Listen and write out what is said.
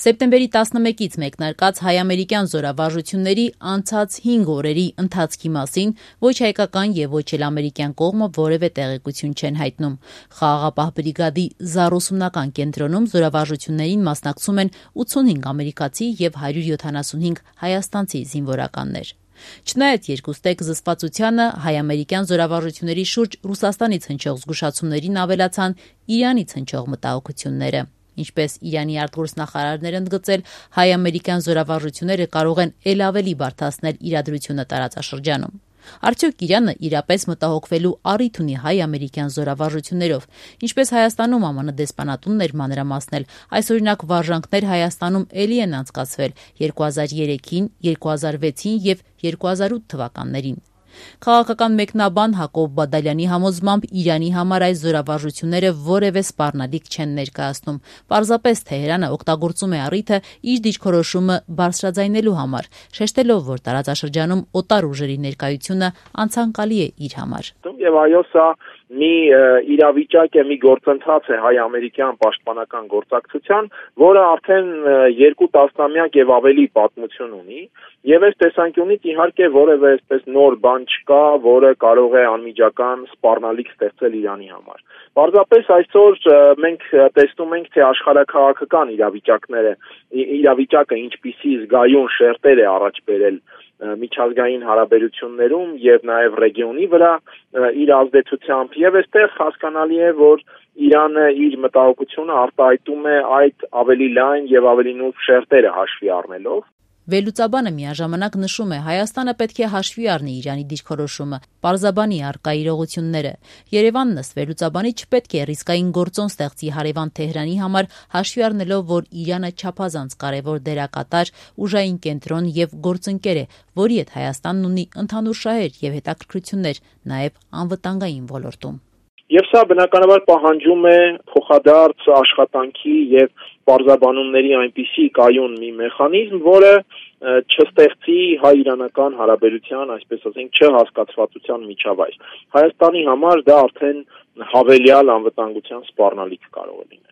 Սեպտեմբերի 11-ից մեկնարկած հայ-ամերիկյան զորավարժությունների անցած 5 օրերի ընթացքի մասին ոչ հայկական և ոչ էլ ամերիկյան կողմը որևէ տեղեկություն չեն հայտնում։ Խաղաղապահ բրիգադի զառուսումնական կենտրոնում զորավարժություններին մասնակցում են 85 ամերիկացի և 175 հայաստանցի զինվորականներ։ Չնայած երկուստեք զսպվածությանը, հայ-ամերիկյան զորավարժությունների շուրջ Ռուսաստանից հնչող զգուշացումներին ավելացան Իրանից հնչող մտահոգությունները։ Ինչպես Իրանի արտգործնախարարն էր ընդգծել, հայ-ամերիկյան զորավարժությունները կարող են էլ ավելի բարդացնել իրադրությունը տարածաշրջանում։ Արդյոք Իրանը իրապես մտահոգվելու առիթ ունի հայ-ամերիկյան զորավարժություններով, ինչպես Հայաստանում ԱՄՆ դեսպանատունն էր մանրամասնել, այս օրինակ վարժանքներ Հայաստանում էլի են անցկացվել 2003-ին, 2006-ին և 2008 թվականներին։ Քաղաքական մեկնաբան Հակոբ Բադալյանի համոզմամբ Իրանի համար այս զորավարժությունները որևէ սպառնալիք չեն ներկայացնում։ Պարզապես Թեհրանը օգտագործում է առիթը իր դիրքորոշումը բարձրաձայնելու համար, շեշտելով, որ տարածաշրջանում օտար ուժերի ներկայությունը անցանկալի է իր համար։ Եվ այո, սա մի իրավիճակ է, մի գործընթաց է հայ-ամերիկյան պաշտպանական գործակցության, որը արդեն 2 տասնամյակ եւ ավելի պատմություն ունի, եւ այս տեսանկյունից իհարկե որևէ այսպես նոր բան չկա, որը կարող է անմիջական սպառնալիք ստեղծել Իրանի համար։ Պարզապես այսօր մենք տեսնում ենք, թե աշխարհաքաղաքական իրավիճակը ինչպիսի զգայուն շերտեր է առաջ բերել միջազգային հարաբերություններում եւ նաեւ ռեգիոնի վրա իր ազդեցությամբ եւ այստեղ հասկանալի է, որ Իրանը իր մտահոգությունը արտահայտում է այդ ավելի լայն եւ ավելի նուրբ շերտերը հաշվի առնելով։ Վերլուծաբանը միաժամանակ նշում է, Հայաստանը պետք է հաշվի առնի Իրանի դիրքորոշումը, պարզաբանի առկա իրողությունները։ Երևանն ըստ վերլուծաբանի չպետք է ռիսկային գործոն ստեղծի հարևան Թեհրանի համար, հաշվի առնելով, որ Իրանը չափազանց կարևոր դերակատար, ուժային կենտրոն եւ գործընկեր է, որի հետ Հայաստանն ունի ընդհանուր շահեր եւ հետաքրքրություններ, նաեւ անվտանգային ոլորտում։ Եվ սա բնականաբար պահանջում է փոխադարձ աշխատանքի եւ պարզաբանումների այնպիսի կայուն մի մեխանիզմ, որը չստեղծի հայ-իրանական հարաբերության, այսպես ասենք, չհասկացվածության միջավայր։ Հայաստանի համար դա արդեն հավելյալ անվտանգության սպառնալիք կարող է լինել։